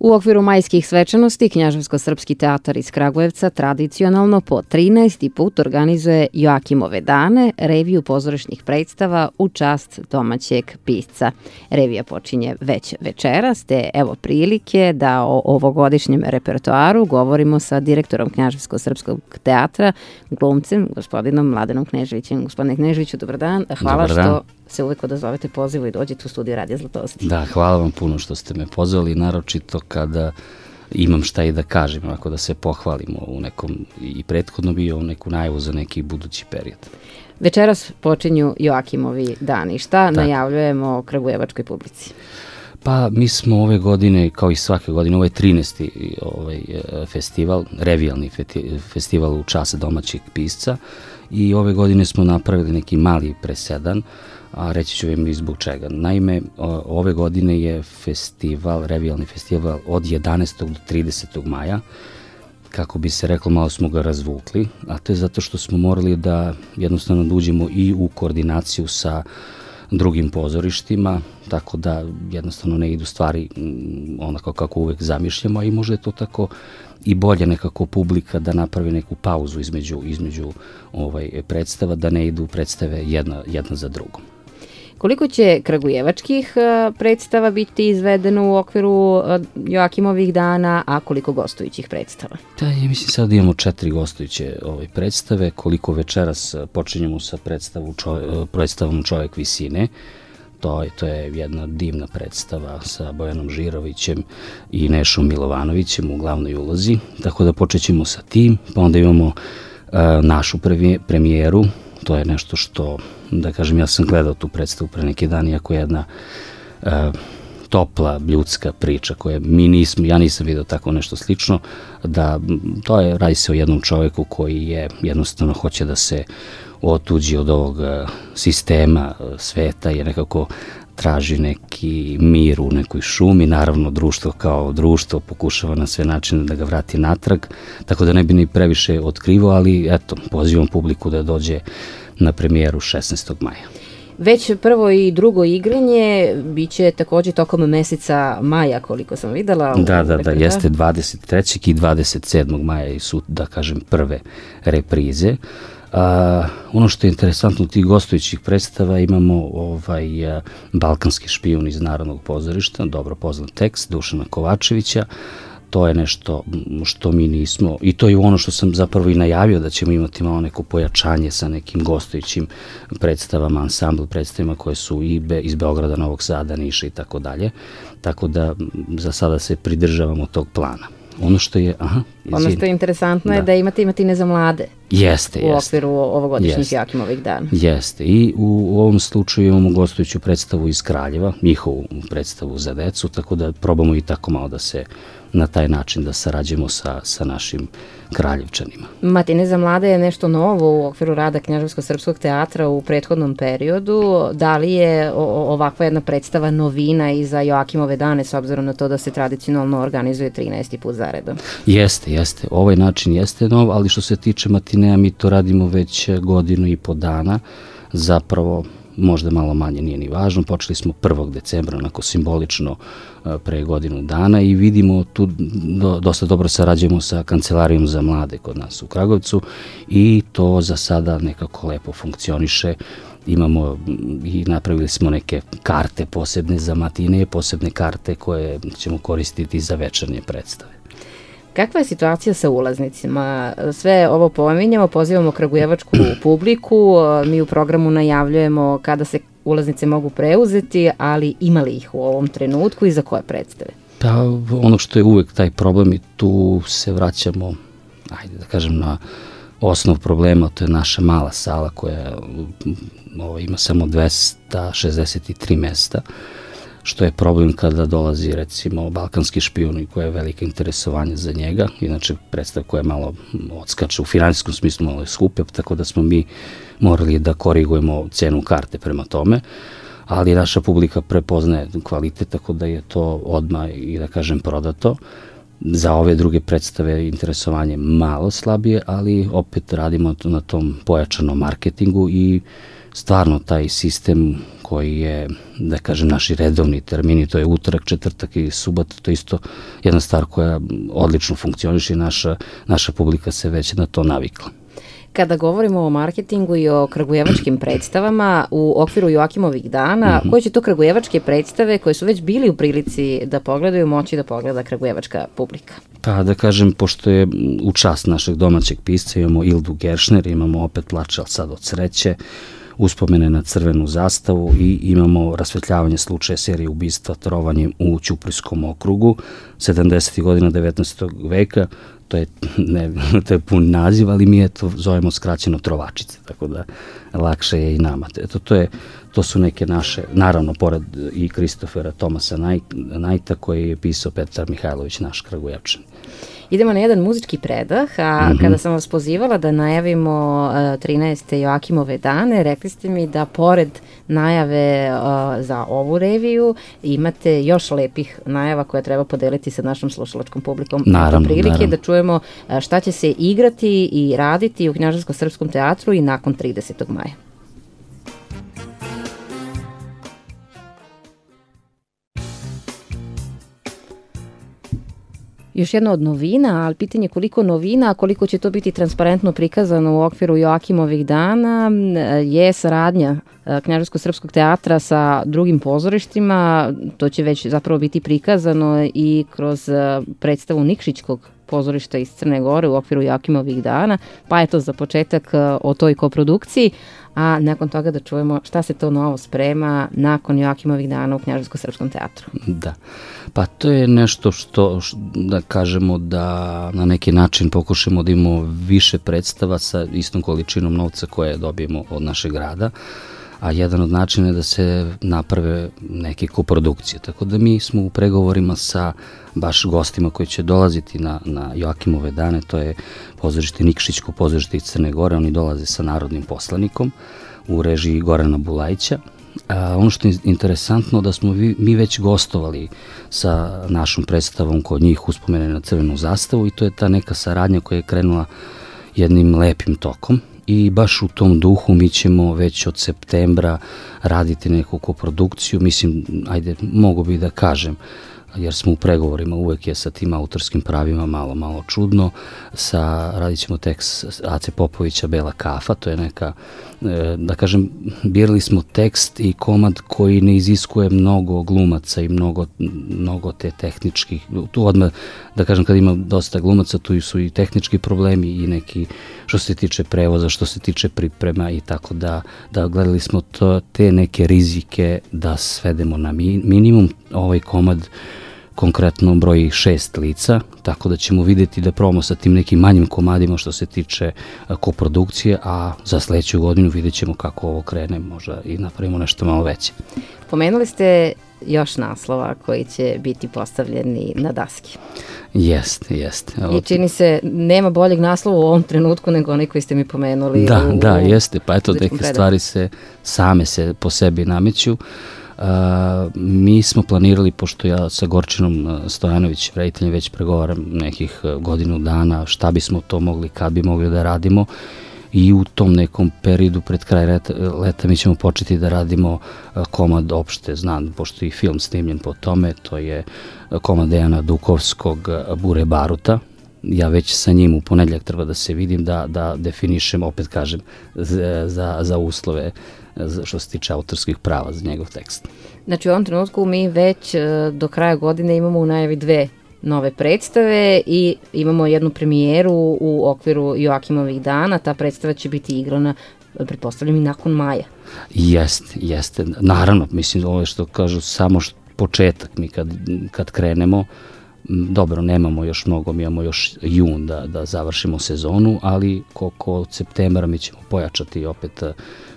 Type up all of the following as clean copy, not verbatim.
U okviru majskih svečanosti Knjaževsko-srpski teatar iz Kragujevca tradicionalno po 13. put organizuje Joakimove dane, reviju pozorišnih predstava u čast domaćeg pisca. Revija počinje već večeras, te evo prilike da o ovogodišnjem repertoaru govorimo sa direktorom Knjaževsko-srpskog teatra, glumcem, gospodinom Mladenom Kneževićem. Gospodine Kneževiću, dobar dan. Hvala što se uvek odazovete pozivu i dođete u studiju Radija Zlatosti. Da, hvala vam puno što ste me pozvali, naročito kada imam šta i da kažem, ako da se pohvalimo u nekom i prethodno bio u neku najavu za neki budući period. Večeras počinju Joakimovi dani. Šta najavljujemo kragujevačkoj publici? Pa mi smo ove godine, kao i svake godine, ovo je 13. festival, revijalni festival u čast domaćeg pisca i ove godine smo napravili neki mali presedan, a reći ću vam i zbog čega. Naime, ove godine je festival, revijalni festival od 11. do 30. maja, kako bi se reklo, malo smo ga razvukli, a to je zato što smo morali da jednostavno uđemo i u koordinaciju sa drugim pozorištima, tako da jednostavno ne idu stvari onako kako uvek zamišljamo, a i možda je to tako i bolje nekako publika da napravi neku pauzu između predstava, da ne idu predstave jedna za drugom. Koliko će kragujevačkih predstava biti izvedeno u okviru Joakimovih dana, a koliko gostujućih predstava? Da, ja mislim sad imamo 4 gostujuće predstave, koliko večeras počinjemo sa predstavom Čovjek visine. To je jedna divna predstava sa Bojanom Žirovićem i Nešom Milovanovićem u glavnoj ulozi, tako da počećemo sa tim, pa onda imamo našu premijeru. To je nešto što, da kažem, ja sam gledao tu predstavu pre neki dan, iako je jedna topla, ljudska priča koja ja nisam vidio tako nešto slično, da radi se o jednom čoveku koji je jednostavno hoće da se otuđi od ovog sistema sveta i nekako traži neki mir u nekoj šumi. Naravno, društvo kao društvo pokušava na sve načine da ga vrati natrag, tako da ne bi ni previše otkrivao, ali eto, pozivam publiku da dođe na premijeru 16. maja. Već prvo i drugo igranje biće takođe tokom meseca maja, koliko sam videla. Da, jeste 23. i 27. maja su, da kažem, prve reprize. Ono što je interesantno u tih gostujućih predstava, imamo Balkanski špijun iz Narodnog pozorišta, dobro poznat tekst Dušana Kovačevića. To je nešto što mi nismo, i to je ono što sam zapravo i najavio, da ćemo imati malo neko pojačanje sa nekim gostujućim predstavama, ansambl predstavima koje su i iz Beograda, Novog Sada, Niša i tako dalje. Tako da za sada se pridržavamo tog plana. Ono što je interesantno je da imate Matine za mlade. Jeste. U okviru ovogodišnjih Joakimovih dana. Jeste. I u ovom slučaju imamo gostujuću predstavu iz Kraljeva, njihovu predstavu za decu, tako da probamo i tako malo da se na taj način da sarađujemo sa našim Kraljevčanima. Matine za mlade je nešto novo u okviru rada Knjaževsko-srpskog teatra u prethodnom periodu. Da li je ovakva jedna predstava novina i za Joakimove dane, s obzirom na to da se tradicionalno organizuje 13. put zaredom? Jeste. Ovaj način jeste nov, ali što se tiče matinea, mi to radimo već 1.5 godine dana. Zapravo, možda malo manje, nije ni važno. Počeli smo 1. decembra, onako simbolično pre 1 godinu dana i vidimo tu dosta dobro sarađujemo sa Kancelarijom za mlade kod nas u Kragujevcu i to za sada nekako lepo funkcioniše. Imamo i napravili smo neke karte posebne za matine, posebne karte koje ćemo koristiti za večernje predstave. Kakva je situacija sa ulaznicima? Sve ovo pominjamo, pozivamo kragujevačku publiku, mi u programu najavljujemo kada se ulaznice mogu preuzeti, ali ima li ih u ovom trenutku i za koje predstave? Pa ono što je uvek taj problem i tu se vraćamo, ajde da kažem, na osnov problema, to je naša mala sala koja ima samo 263 mesta, što je problem kada dolazi recimo Balkanski špijun i koje je velika interesovanje za njega, inače predstav koja je malo odskače u finansijskom smislu, malo je skupe, tako da smo mi morali da korigujemo cenu karte prema tome, ali naša publika prepoznaje kvalitet, tako da je to odmah i da kažem prodato. Za ove druge predstave interesovanje malo slabije, ali opet radimo na tom pojačanom marketingu i stvarno taj sistem koji je, da kažem, naši redovni termini, to je utorak, četvrtak i subota, to je isto jedna stvar koja odlično funkcioniše i naša publika se već na to navikla. Kada govorimo o marketingu i o kragujevačkim predstavama u okviru Joakimovih dana, koje će to kragujevačke predstave koje su već bili u prilici da pogledaju, moći da pogleda kragujevačka publika? Pa da kažem, pošto je u čast našeg domaćeg pisca, imamo Ildu Geršner, imamo opet Plače, ali sad od sreće, Uspomene na crvenu zastavu i imamo Rasvetljavanje slučaja serije ubistva trovanjem u Ćuprijskom okrugu 70. godina 19. veka. To je pun naziv, ali mi to zovemo skraćeno Trovačice, tako da lakše je i nama. To su neke naše, naravno, pored i Kristofera Tomasa Najta, koji je pisao Petar Mihajlović, naš Kragujevčan. Idemo na jedan muzički predah, a kada sam vas pozivala da najavimo 13. Joakimove dane, rekli ste mi da pored najave za ovu reviju imate još lepih najava koje treba podeliti sa našom slušalačkom publikom. Naravno. Da čujemo šta će se igrati i raditi u Knjaževsko-srpskom teatru i nakon 30. maja. Još jedna od novina, ali pitanje koliko novina, koliko će to biti transparentno prikazano u okviru Joakimovih dana, je saradnja Knjaževsko-srpskog teatra sa drugim pozorištima. To će već zapravo biti prikazano i kroz predstavu Nikšićkog pozorišta iz Crne Gore u okviru Joakimovih dana, pa je to za početak o toj koprodukciji, a nakon toga da čujemo šta se to novo sprema nakon Joakimovih dana u Knjaževsko-srpskom teatru. Da, pa to je nešto što da kažemo da na neki način pokušamo da imamo više predstava sa istom količinom novca koje dobijemo od našeg grada, a jedan od načina je da se naprave neke koprodukcije. Tako da mi smo u pregovorima sa baš gostima koji će dolaziti na Joakimove dane, to je pozorište Nikšićko pozorište iz Crne Gore, oni dolaze sa narodnim poslanikom u režiji Gorana Bulajića. Ono što je interesantno da smo mi već gostovali sa našom predstavom kod njih Uspomene na crvenu zastavu i to je ta neka saradnja koja je krenula jednim lepim tokom. I baš u tom duhu mi ćemo već od septembra raditi neku koprodukciju, mislim, mogu bi da kažem, jer smo u pregovorima, uvek je sa tim autorskim pravima malo čudno, radit ćemo tekst Ace Popovića Bela kafa, to je neka, da kažem, birali smo tekst i komad koji ne iziskuje mnogo glumaca i mnogo te tehničkih, tu odmah, da kažem, kad ima dosta glumaca, tu su i tehnički problemi i neki, što se tiče prevoza, što se tiče priprema i tako da gledali smo te neke rizike da svedemo na minimum. Ovaj komad konkretno broji 6 lica, tako da ćemo videti da probamo sa tim nekim manjim komadima što se tiče koprodukcije, a za sledeću godinu vidjet ćemo kako ovo krene, možda i napravimo nešto malo veće. Pomenuli ste još naslova koji će biti postavljeni na daski. Jeste. I čini se, nema boljeg naslova u ovom trenutku nego onaj koji ste mi pomenuli. Da, jeste, pa eto, neke stvari same se po sebi nameću. Mi smo planirali, pošto ja sa Gorčinom Stojanović, rediteljem, već pregovaram nekih godinu dana šta bismo to mogli, kad bi mogli da radimo, i u tom nekom periodu pred kraj leta mi ćemo početi da radimo komad opšte znam, pošto je i film snimljen po tome, to je komad Dejana Dukovskog Bure baruta. Ja već sa njim u ponedjeljak treba da se vidim, da definišem, opet kažem, za uslove što se tiče autorskih prava za njegov tekst. Znači u ovom trenutku mi već do kraja godine imamo u najavi 2 nove predstave i imamo jednu premijeru u okviru Joakimovih dana. Ta predstava će biti igrana, pretpostavljam, i nakon maja. Jeste. Naravno, mislim, ovo je što kažu samo početak. Mi kad krenemo, dobro, nemamo još mnogo, mi imamo još jun da završimo sezonu, ali od septembra mi ćemo pojačati opet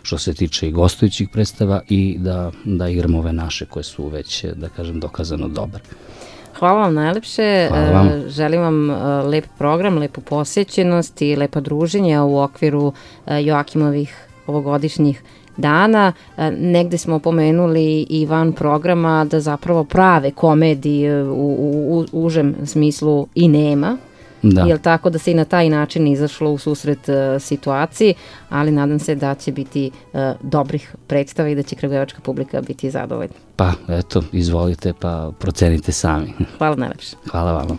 što se tiče i gostujućih predstava i da igramo ove naše koje su već, da kažem, dokazano dobre. Hvala vam najlepše. Hvala vam. Želim vam lep program, lepu posjećenost i lepa druženja u okviru Joakimovih ovogodišnjih dana. Negde smo pomenuli i van programa da zapravo prave komedije u užem smislu i nema. jel tako, da se i na taj način izašlo u susret situaciji, ali nadam se da će biti dobrih predstava i da će kragujevačka publika biti zadovoljna. Pa, eto, izvolite, pa procenite sami. Hvala najlepše. Hvala vama.